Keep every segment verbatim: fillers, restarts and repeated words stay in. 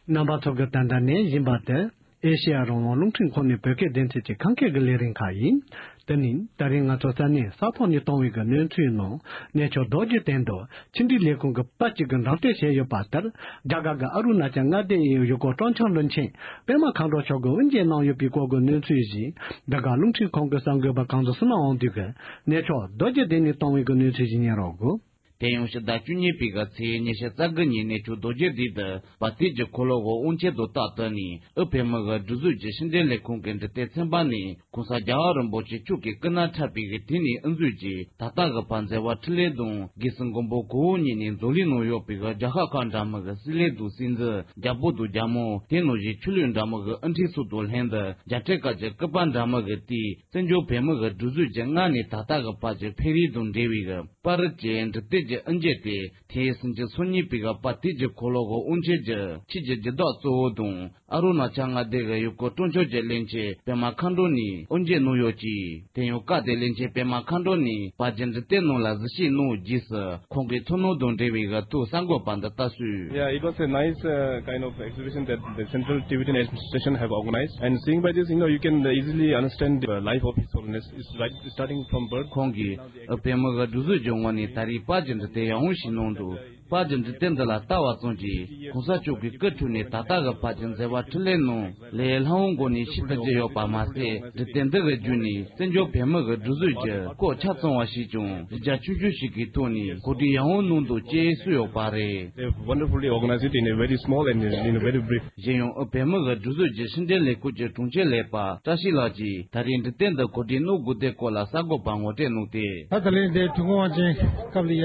རྣམ་པ་ཚོ་གིས་ད་ལྟ་ཉན་བཞིན་པ་དེ། ཨེ་ཤེ་ཡ་རང་དབང་རླུང་འཕྲིན་ཁང་ནས་བོད་སྐད་སྡེ་ཚན་གྱི་ཁམས་སྐད་ཀྱི་ལས་རིམ་ཁག་ཡིན། དེ་ནི་ད་རིང་ང་ཚོ་ས་གནས་ས་ཐོག་ནས་བཏང་བའི་གི་གནས་ཚུལ་ནང་གནས་མཆོག་རྡོ་རྗེ་གདན་དུ་ཕྱི་འབྲེལ་ལས་ཁུངས་ཀྱི་པར་གཅིག་གིས་འགྲེམས་སྟོན་བྱས་ཡོད་པ་ལྟར། རྒྱ་གར་གྱི་ཨ་རུ་ན་ཅལ་མངའ་སྡེ་ཡི་ཡུལ་སྐོར་སྤྲོ་འཆམ་བློན་ཆེན་པད་མ་མཁའ་འགྲོ་མཆོག་གིས་དབུ་འབྱེད་གནང་ཡོད་པའི་སྐོར་གྱི་གནས་ཚུལ་ཞིག་འདི་ག་རླུང་འཕྲིན་ཁང་གི་གསར་འགོད་པ་གངས་འཛིན་བསོད་ནམས་དབང་འདུས་ཀྱིས་གནས་མཆོག་རྡོ་རྗེ་གདན་ནས་བཏང་བའི་གི་གནས་ཚུལ་ཞིག་ཉན་རོགས་གོ། དེ་ཡང་ཕྱི་ཟླ་བཅུ་གཉིས་པའི་གི་ཚེས་ཉི་ཤུ་རྩ་དགུ་ཉིན་གནས་མཆོག་རྡོ་རྗེ་གདན་དུ་པར་དུས་ཀྱི་འཁོར་ལོ་འོག་དབུ་འབྱེད་དུ་རྟག་ཏུ་ནས་ཨུ་བོད་མི་གི་སྒྲིག་འཛུགས་ཀྱི་ཕྱི་འབྲེལ་ལས་ཁུངས་ཀྱི་འབྲི་དེབ་ཚན་པ་ནས་གོང་ས་རྒྱལ་བ་རིན་པོ་ཆེ་མཆོག་གི་སྐུ་ན་ཕྲ་བའི་གི་དུས་ནས་དབུ་འཛུགས་ཀྱིས་ད་ལྟ་གི་བར་མཛད་པ་འཕྲིན་ལས་དང་རྒྱལ་སྲས་མགོན་པོ་གོ་འོག་གཉིས་ནས་མཛོད་ལས་གནང་ཡོད་པའི་གི་རྒྱལ་ཤ་ཁག་འདྲ་མི་གི་སྲིད་ལས་དང་སྲིད་འཛིན་རྒྱལ་པོ་དང་རྒྱལ་མོ་དེ་ནང་བཞིན་ཆོས་ལུགས་འདྲ་མི་གི་དབུ་ཁྲིད་སོགས་དང་ལྷན་དུ་རྒྱལ་ཕྲན་ཁག་གི་སྐུ་པར་འདྲ་མི་གི་དེས་བཙན་བྱོལ་བོད་མི་གི་སྒྲིག་འཛུགས་ཀྱི་སྔ་ནས་ད་ལྟ་གི་བར་གྱི་འཕེལ་རིམ་དང་འབྲེལ་བའི་གི་པར་རིས་ཀྱི་འབྲི་དེབ་ཀྱི་དབུ་འབྱེད་དེ་དེའི་སྲིད་ཀྱི་སོ་གཉིས་པའི་གི་པར་དུས་ཀྱི་འཁོར་ལོ་གི་དབུ་འབྱེད་ཀྱི་ཆེད་ཀྱི་བརྒྱུད་རྟགས་གཙོ་བོ་དང་ཨ་རུ་ན་ཅལ་མངའ་སྡེ་གི་ཡུལ་སྐོར་སྤྲོ་འཆམ་གྱི་བློན་ཆེན་པད་མ་མཁའ་འགྲོ་ནས་དབུ་འབྱེད་གནང་ཡོད་ཅིང་། དེ་ཡང་སྐབས་དེར་བློན་ཆེན་པད་མ་མཁའ་འགྲོ་ནས་པར་གྱི་འབྲི་དེབ་ནང་ལ་གཟིགས་ཞིབ་གནང་རྗེས་སུ་ཁོང་གི་ཐུགས་སྣང་དང་འབྲེལ་བའི་གི་ཐོག་གསར་འགོད་པ་འདི་ལྟར་གསུངས། Yeah, it was a nice uh, kind of exhibition that the Central Tibetan Administration have organized, and seeing by this, you know, you can easily understand the life of His Holiness. It's right, starting from birth. ཁོང་གིས་ཨུ་བོད་མི་གི་སྒྲིག་འཛུགས་ཀྱི་ངོས་ནས་ད་རེས་པར་གྱི་འབྲི་དེབ་ཡག་པོ་ཞིག་གནང་འདུག་པར་གྱི་འབྲི་དེབ་འདི་ལ་ལྟ་བ་ཙམ་གྱིས་གོང་ས་མཆོག་གི་སྐུ་འཁྲུངས་ནས་ད་ལྟ་གི་བར་གྱི་མཛད་པ་འཕྲིན་ལས་ནང་ལས་སླ་བོའི་སྒོ་ནས་ཤེས་ཐུབ་ཀྱི་ཡོད་པ་མ་ཟད། འབྲི་དེབ་འདི་གི་བརྒྱུད་ནས་བཙན་བྱོལ་བོད་མི་གི་སྒྲིག་འཛུགས་ཀྱི་སྐོར་ཆ་ཚང་བ་ཞིག་ཀྱང་གཞི་རྒྱ་ཆོས་ཆོས་ཤིག་གི་ཐོག་ནས་གོ་སྒྲིག་ཡག་པོ་གནང་འདུག་ཅེས་གསུངས་ཡོད་པ་རེད། They have wonderfully organized it in a very small and in a very brief. གཞན་ཡང་ཨུ་བོད་མི་གི་སྒྲིག་འཛུགས་ཀྱི་ཕྱི་འབྲེལ་ལས་ཁུངས་ཀྱི་དྲུང་ཆེ་ལས་པ་བཀྲ་ཤིས་ལགས་ཀྱིས་ད་རེས་འབྲི་དེབ་འདི་གོ་སྒྲིག་གནང་དགོས་དོན་སྐོར་ལ་གསར་འགོད་པར་ངོ་སྤྲོད་གནང་སྟེ། ད་ད་ལན་དེ་དུས་འཁོར་དབང་ཆེན་སྐབས་ལ་ཡ་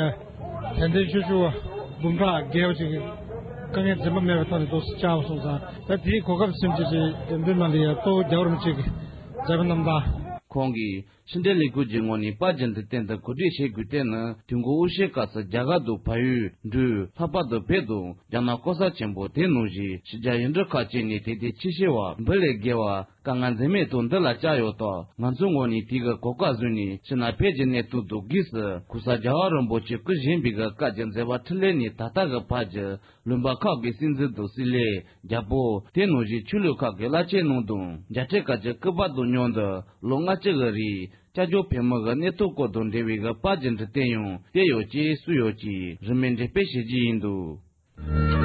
དད་ལྡན་ཆོས་ཞུ་བ་འབུམ་ཕྲག་བརྒལ་བ་ཅིག་གིས་དཀའ་ངལ་འཛེམ་པ་མེད་པའི་ཐོག་ནས་རྡོག་རྩ་བཅར་བ་སོང་ཙང་། ད་དེའི་གོ་སྐབས་ཟིན་བྱས་ཀྱི་འགྲེམས་སྟོན་ནང་ལ་ཡ་གཙོ་བོ་རྒྱལ་བ་རིན་པོ་ཆེ་གི་མཛད་པ་རྣམ་ཐར། ཁོང་གིས་ཕྱི་འབྲེལ་ལས་ཁུངས་ཀྱི་ངོས་ནས་པར་གྱི་འབྲི་དེབ་འདི་གོ་སྒྲིག་བྱེད་དགོས་དོན་ནི་དུས་འཁོར་དབུ་བཞིའི་སྐབས་སུ་རྒྱ་གར་དང་བལ་ཡུལ་འབྲུག་ལྷག་པར་དུ་བོད་དང་རྒྱ་ནག་ལྐོག་ཟ་ཆེན་པོ་དེ་ནང་བཞིན་ཕྱི་རྒྱལ་ཡུལ་གྲུ་ཁག་ཅིག་ནས་དད་ལྡན་ཆོས་ཞུ་བ་འབུམ་ལས་བརྒལ་བ་དཀའ་ངལ་འཛེམ་མེད་ཐོག་འདི་ལ་བཅར་ཡོད་སྟབས། ང་ཚོའི་ངོས་ནས་དེ་གི་གོ་སྐབས་བཟུང་ནས་ཕྱི་ནང་བོད་ཀྱི་གནས་སྟངས་དང་སྒོས་སུ་གོང་ས་རྒྱལ་བ་རིན་པོ་ཆེ་སྐུ་བཞེངས་པའི་གི་སྐབས་ཀྱི་མཛད་པ་འཕྲིན་ལས་ནས་ད་ལྟ་གི་བར་གྱི་ལུང་པ་ཁག་གི་སྲིད་འཛིན་དང་སྲིད་བློན་རྒྱལ་པོ་དེ་ནང་བཞིན་ཆོས་ལུགས་ཁག་གི་བླ་ཆེན་རྣམས་དང་རྒྱལ་ཕྲན་ཁག་གི་སྐུ་པར་དང་མཉམ་དུ་ལོ་ལྔ་བཅུ་གི་རིང་སྐྱབས་བཅོལ་བོད་མི་གི་གནས་སྟངས་སྐོར་དང་འབྲེལ་བའི་གི་པར་གྱི་འབྲི་དེབ་ཡང་བསྡུས་ཡོད་ཅེས་གསུངས་ཡོད་ཅིང་རིན་མེད་འགྲེམས་སྤེལ་བྱེད་རྒྱུ་ཡིན་འདུག